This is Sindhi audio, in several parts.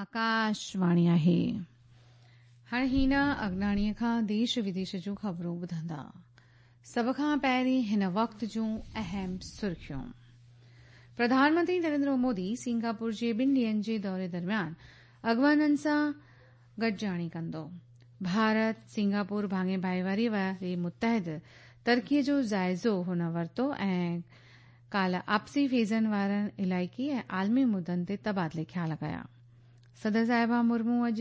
آڪاشواڻي آهي. هاڻي هينا اگناڻيء کان ديش وديش جون خبرون ٻڌندا. سڀ کان پهرين هن وقت جون اهم سرخيون. پرڌان منتري نريندر مودي سنگاپور جي ٻن ڏينهن جي دوري درميان اڳواڻن سان گڏجاڻي ڪندو. ڀارت سنگاپور ڀاڱي ڀائيواري واري متحد ترقيء جو جائزو هن ورتو ۽ ڪالهه آپسي فيزن وارن علائقي ۽ عالمي مدن تي تبادلي خيال ڪيا. صدر صاحبه مرمو اڄ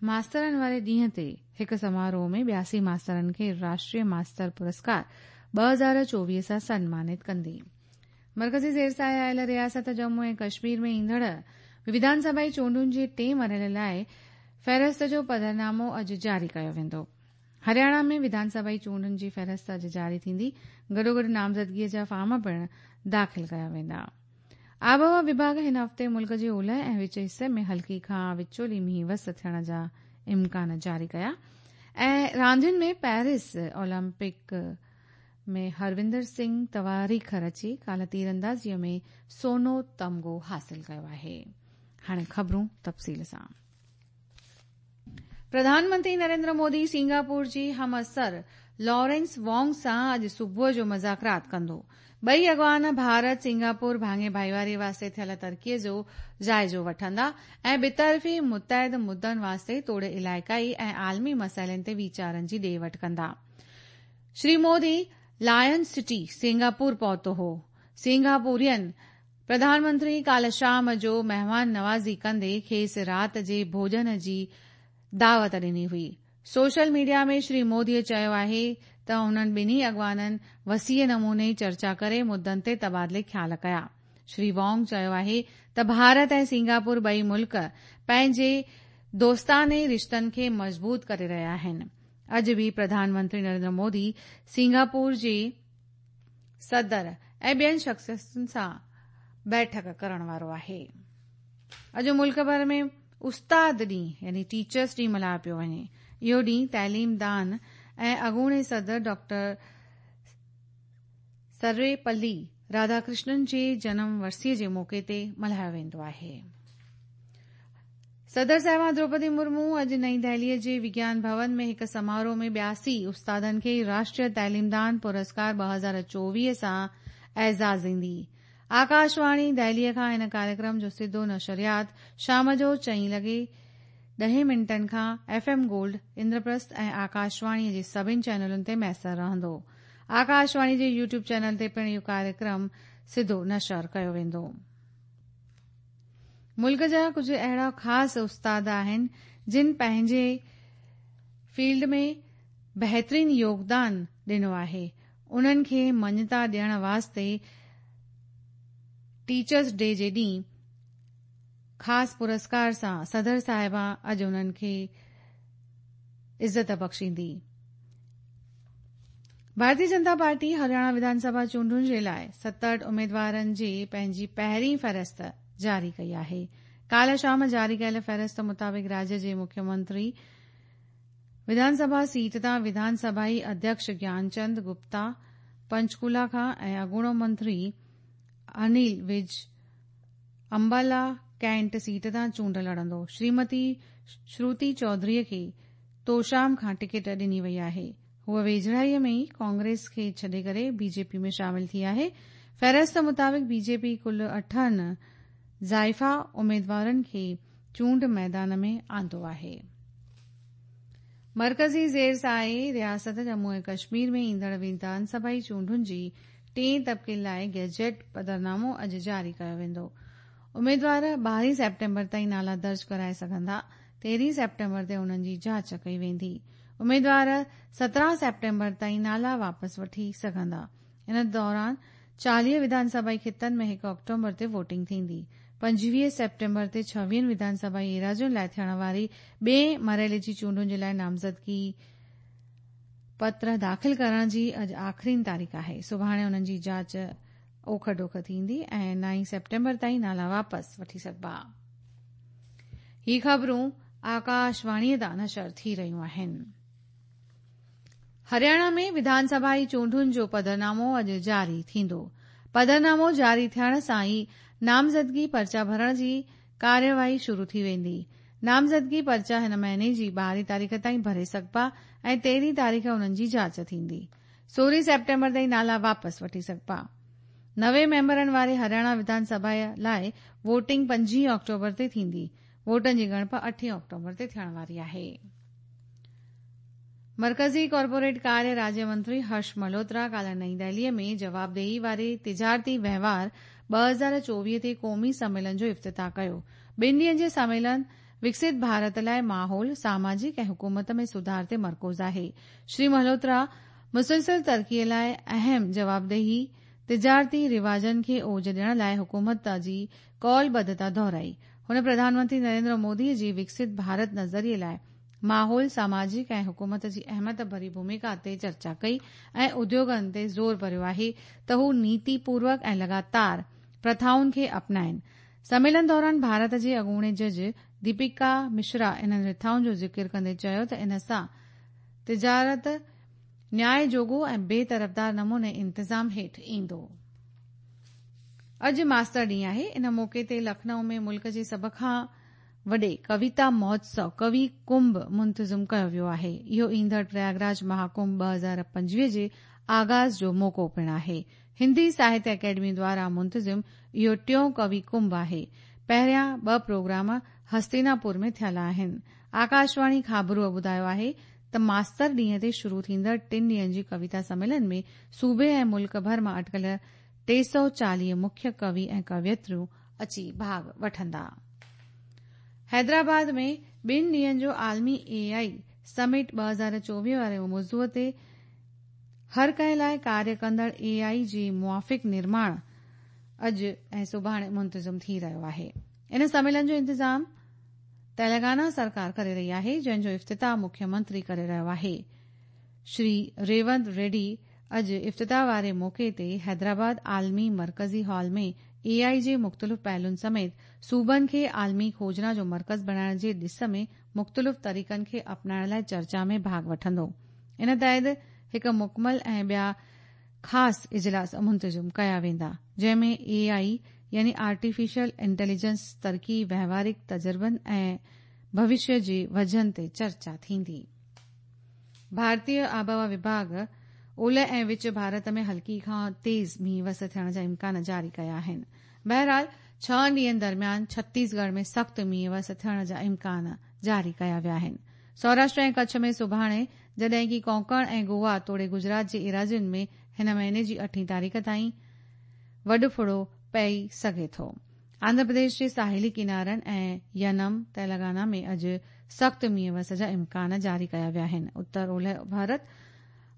ماسترن واري ڏينهن تي هڪ سماروهه ۾ 82 ماسترن کي راشٽريه ماستر پرسڪار 2024 سان سنمانت ڪندي. مرڪزي زير سايه آيل رياست ڄمون ۽ ڪشمير ۾ ايندڙ وڌان سڀائي چونڊن جي ٽئين مرحلي لاء فهرست جو پڌرنامو اڄ جاري ڪيو ويندو. هرياڻا ۾ وڌان سڀائي چونڊن جي فهرست اڄ جاري ٿيندي، گڏوگڏ نامزدگيء جا فارم پڻ داخل ڪيا ويندا. آبهوا وڀاڳ هن هفتي ملڪ جي اولهه ۽ وچ حصي ۾ هلڪي کان وچولي مينهن وس ٿيڻ جا امڪان جاري ڪيا ۽ راندين ۾ پيرس اولمپڪ ۾ هروندر سنگهه تواريخ رچي ڪالهه تيراندازيء ۾ سونو تمغو حاصل ڪيو آهي. هاڻي خبرون تفصيل سان. پرڌان منتري نريندر مودي سنگاپور جي همعصر لارنس وانگ سان اڄ صبح جو مذاڪرات ڪندو. ٻئي اڳواڻ ڀارت سنگاپور ڀاڱي ڀائيواري واسطي ٿيل ترقيء جو جائزو وٺندا ۽ ٻطرفي متحد مدن واسطي توڙي علائقائي ۽ عالمي مسئلن تي ويچارن جي ڏي وٺ ڪندا. Shri Modi line city Singapore پهتو هو. سنگاپورين پرڌان منتري ڪالهه شام جو مهمان نوازي ڪندي کيس رات جي ڀوڄن جي دعوت ڏني هئي. سوشل ميڊيا ۾ شري مودي چيو آهي ته انهن ٻنهي اڳواڻن وسيع نموني چرچا ڪري مدن تي تبادلي خيال ڪيا. شري وانگ چيو آهي ته ڀارت ۽ سنگاپور ٻئي ملڪ پنهنجي دوستاني رشتن کي مضبوط ڪري رهيا آهن. اڄ به پرڌان منتري نريندر مودي سنگاپور جي صدر ۽ ٻين شخصيتن سان بيٺڪ ڪرڻ وارو آهي. اڄ ملڪ ڀر ۾ استاد ڏينهن يعني ٽيچرس ڊي ملهايو پيو وڃي. اهو ڏينهن تعليم دان ۽ اڳوڻي صدر ڊاڪٽر سرويپلي راڌاڪرشنن جي جنم ورسيء جي موقعي تي ملهايو ويندو آهي. صدر صاحبه دروپدي مرمو اڄ نئين دهليء جي وگيان ڀون ۾ هڪ سماروهه ۾ 82 استادن کي راشٽريه تعليمدان پرسڪار 2024 سان اعزازيندي. آڪاشواڻي دهليء کان هن ڪاريڪرم جو سڌو نشريات شام جو چئين لڳي ڏهين منٽن کان ايف ايم گولڊ، اندرپرسٿ ۽ آڪاشواڻيء جي سڀن چينلن تي ميسر رهندو. آڪاشواڻي جي يوٽيوب چينل تي پڻ اهو ڪاريڪرم سڌو نشر ڪيو ويندو. ملڪ جا ڪجهه اهڙا خاص استاد آهن جن پنهنجي فيلڊ ۾ بهترين يوگدان ڏنو آهي انهن کي مڃتا ڏيڻ واسطي ٽيچرس ڊي جي ڏينهن خاص پرسڪار سان صدر صاحبه اڄ انهن کي عزت بخشيندي. ڀارتي جنتا پارٽي هرياڻا وڌان سڀا چونڊن جي لاء 67 اميدوارن جي پنهنجي پهرين فهرست جاري ڪئي آهي. ڪالهه شام جاري ڪيل فهرست مطابق راجيه جي مکيه منتري وڌان سڀا سيٽ تان وڌان سڀائي اڌيڪش گيانچند گپتا پنچڪولا کان ۽ اڳوڻو منتري انيل وج امبالا ڪينٽ سيٽ تان چونڊ لڙندو. شريمتي شروتي چوڌري کي توشام کان ٽڪيٽ ڏني وئي آهي. هوء ويجهڙائيء ۾ ئي ڪانگريس کي ڇڏي ڪري بي جي پي ۾ شامل ٿي آهي. فهرست مطابق بي جي پي ڪل اٺن زائفا اميدوارن کي چونڊ ميدان ۾ آندو آهي. مرڪزي زير سايي رياست ڄمون ۽ ڪشمير ۾ ايندڙ وڌان سڀائي چونڊن جي ٽئين طبقي لاء گيجيٽ پڌرنامو اڄ جاري ڪيو ويندو. اميدوار 12 سيپٽمبر تائين نالا درج ڪرائي سگهندا. 13 سيپٽمبر تي انهن جي جاچ ڪئي ويندي. اميدوار 17 سيپٽمبر تائين نالا واپس وٺي سگهندا. ان دوران 40 وڌان سڀائي خطن ۾ 1 آڪٽوبر تي ووٽنگ ٿيندي. 25 سيپٽمبر تي 26 وڌان سڀائي ايراضين لاء ٿيڻ واري ٻئين مرحلي جي چونڊن جي لاء نامزدگي پتر داخل ڪرڻ جي اڄ آخرين تاريخ آهي. سڀاڻي انهن جي جاچ اوک ڊوک ٿيندي ۽ 9 سيپٽمبر تائين نالا واپس وٺي سگهبا. هي خبرون آڪاشواڻيء تان نشر ٿي رهيون آهن. هرياڻا ۾ وڌان سڀائي چونڊن جو پڌرنامو اڄ جاري ٿيندو. پڌرنامو جاري ٿيڻ سان ئي نامزدگي پرچا ڀرڻ جي ڪارروائي شروع ٿي ويندي. نامزدگي پرچا هن مهيني جي 12 تاريخ تائين ڀري سگهبا ۽ 13 تاريخ انهن جي جاچ ٿيندي. 16 سيپٽمبر تائين نالا واپس وٺي سگهبا. 90 ميمبرن واري هرياڻا وڌان سڀا لاء ووٽنگ 25 آڪٽوبر تي ٿيندي. ووٽن جي ڳڻپ 8 آڪٽوبر تي ٿيڻ واري آهي. مرڪزي ڪارپوريٽ ڪاريه راجيه منتري هرش ملهوترا ڪالهه نئين دهلي ۾ جوابدهي واري تجارتي وهنوار 2024 تي قومي سميلن جو افتتاح ڪيو. ٻن ڏينهن جي سميلن وڪست ڀارت لاء ماحول، ساماجڪ ۽ حڪومت ۾ سڌار تي مرڪوز آهي. شري ملهوترا مسلسل ترقي لاء اهم جوابدهي تجارتي رواجن کي اوج ڏيڻ لاء حڪومت جي قولبڌتا دهرائي. هن پرڌان منتري نريندر مودي جي وڪست ڀارت نظريي لاء ماحول، ساماجڪ ۽ حڪومت جي اهميت ڀري ڀوميڪا تي چرچا ڪئي ۽ اديوگن تي زور ڀريو آهي ته هو نيتي پوروڪ ۽ لڳاتار پرٿائن کي اپنائين. سميلن دوران ڀارت جي اڳوڻي جج ديپيڪا مشرا انهن رٿائن جو ذڪر ڪندي چيو ته ان سان تجارت نياء جوڳو ۽ بي طرفدار نموني انتظام هيٺ ايندو. اڄ ماستر ڏينهن آهي. ان موقعي تي لکنؤ ۾ ملڪ جي سڀ کان وڏي ڪويتا مهوتسو ڪوي ڪنڀ منتظم ڪيو ويو آهي. اهو ايندڙ پرياگراج مهاڪنڀ 2025 جي آغاز جو موقعو پڻ آهي. هندي ساهتيه اڪيڊمي دواران منتظم اهو ٽيون ڪوي ڪنڀ آهي. پهريان ٻه پروگرام هستيناپور ۾ ٿيل آهن. آڪاشواڻي خابروء ٻڌايو آهي ته ماستر ڏينهن تي شروع ٿيندڙ ٽن ڏينهن جي ڪويتا سميلن ۾ صوبي ۽ ملڪ ڀر مان اٽڪل 340 مکيه ڪوي ۽ ڪويتريون اچي ڀاڳ وٺندا. حيدرآباد ۾ ٻن ڏينهن جو عالمي اي I summit 2024 واري موضوع تي هر ڪنهن لاء ڪاريه ڪندڙ اي آء جي موافق نرماڻ اڄ ۽ سڀاڻي منتظم ٿي رهيو آهي. ان سميلن جو انتظام تيلنگانا سرڪار ڪري رهي آهي، جنهن جو افتتاح مکيه منتري ڪري رهيو آهي. شري ريونت ريڊي اڄ افتتاح واري موقعي تي حيدرآباد عالمي مرڪزي هال ۾ اي آء جي مختلف پهلن سميت صوبن کي عالمي کوجنا جو مرڪز بڻائڻ جي ڏس ۾ مختلف طريقن کي اپنائڻ لاء چرچا ۾ ڀاڳ وٺندو. ان تحت هڪ مڪمل ۽ ٻيا خاص اجلاس منتظم ڪيا ويندا، جنهن ۾ اي آء يعني آرٽيفيشل انٽيليجنس ترقي، وهوارڪ تجربن ۽ ڀوشيه جي وزن تي چرچا ٿيندي. ڀارتي آبهوا وڀاڳ اولهه ۽ وچ ڀارت ۾ هلڪي کان تيز مينهن وس ٿيڻ جا امڪان جاري ڪيا آهن. بهرحال ڇهن ڏينهن درميان ڇتيسڳڙهه ۾ سخت مينهن وس ٿيڻ جا امڪان جاري ڪيا ويا آهن. سوراشٽر ۽ ڪڇ ۾ سڀاڻي جڏهن ڪي ڪونڪڻ ۽ گوا توڙي گجرات جي ايراضين ۾ هن مهيني جي اٺين تاريخ تائين وڏ ڦڙو پئي سگهي ٿو. آنڌرا پرديش جي ساحلي ڪنارن ۽ ينم، تيلنگانا ۾ اڄ سخت مينهن وس جا امڪان جاري ڪيا ويا آهن. اتر اولهه ڀارت،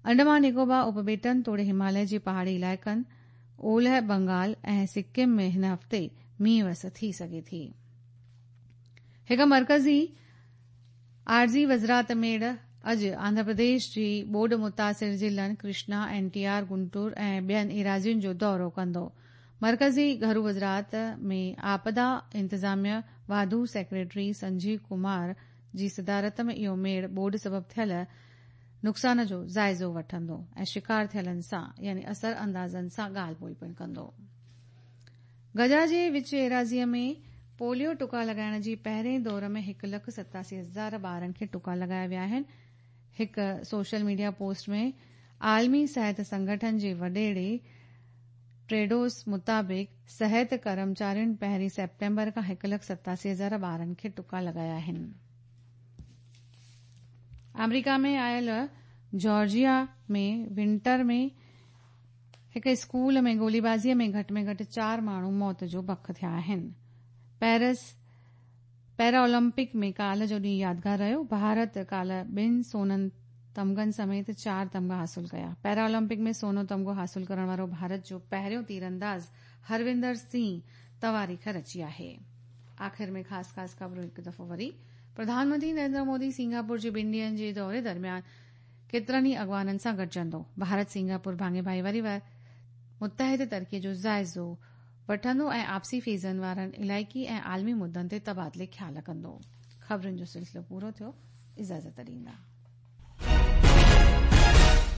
انڊمان نڪوبار اپٻيٽن توڙي هماليه جي پهاڙي علائقن، اولهه بنگال ۽ سڪم ۾ هن هفتي مينهن وس ٿي سگهي ٿي. هڪ مرڪزي عارضي وزارت ميڙ اڄ آنڌرا پرديش جي ٻوڏ متاثر ضلعن ڪرشنا، اين ٽي آر، گنٽور ۽ ٻين ايراضين جو دورو ڪندو. مرڪزي گهرو وزارت ۾ آپدا انتظاميه واڌو سيڪريٽري سنجيو ڪمار جي صدارت ۾ اهو ميڙ ٻوڏ سبب ٿيل نقصان جو جائزو وٺندو ۽ شڪار ٿيلن سان يعني اثر اندازن سان ڳالهه ٻولهه پڻ ڪندو. غزه جي وچ ايراضيء ۾ پوليو ٽڪا لڳائڻ جي پهرين دور ۾ هڪ لک 87 هزار ٻارن کي ٽڪا لڳايا ويا آهن. هڪ سوشل ميڊيا پوسٽ ۾ عالمي صحت سنگٺن جي وڏيري ٽيڊروس مطابق صحت ڪرمچارين پهرين سيپٽمبر کان هڪ لک 87 هزار ٻارن کي ٽڪا لڳايا آهن. آمريڪا ۾ آيل جارجيا ۾ ونٽر ۾ هڪ اسڪول ۾ گوليبازي ۾ گهٽ ۾ گهٽ چار ماڻهو موت جو بک ٿيا آهن. پيرس پيرا اولمپڪ ۾ ڪالهه جو ڏينهن يادگار رهيو. ڀارت ڪالهه ٻن سونن تمغن سميت چار تمغا حاصل ڪيا. پيرا اولمپڪ ۾ سونو تمغو حاصل ڪرڻ وارو ڀارت جو پهريون تيرانداز هروندر سنگهه تواريخ رچي آهي. آخر ۾ خاص خاص خبرون هڪ دفعو وري. پرڌان منتري نريندر مودي سنگاپور جي ٻن ڏينهن جي دوري درميان ڪيترن ئي اڳواڻن سان گڏجندو. ڀارت سنگاپور ڀاڱي ڀائيواري متحد ترقي جو جائزو وٺندو ۽ آپسي فيضن وارن علائقي ۽ عالمي مدن تي تبادلي خيال ڪندو. خبرن جو سلسلو پورو ٿيو. اجازت ڏيندا.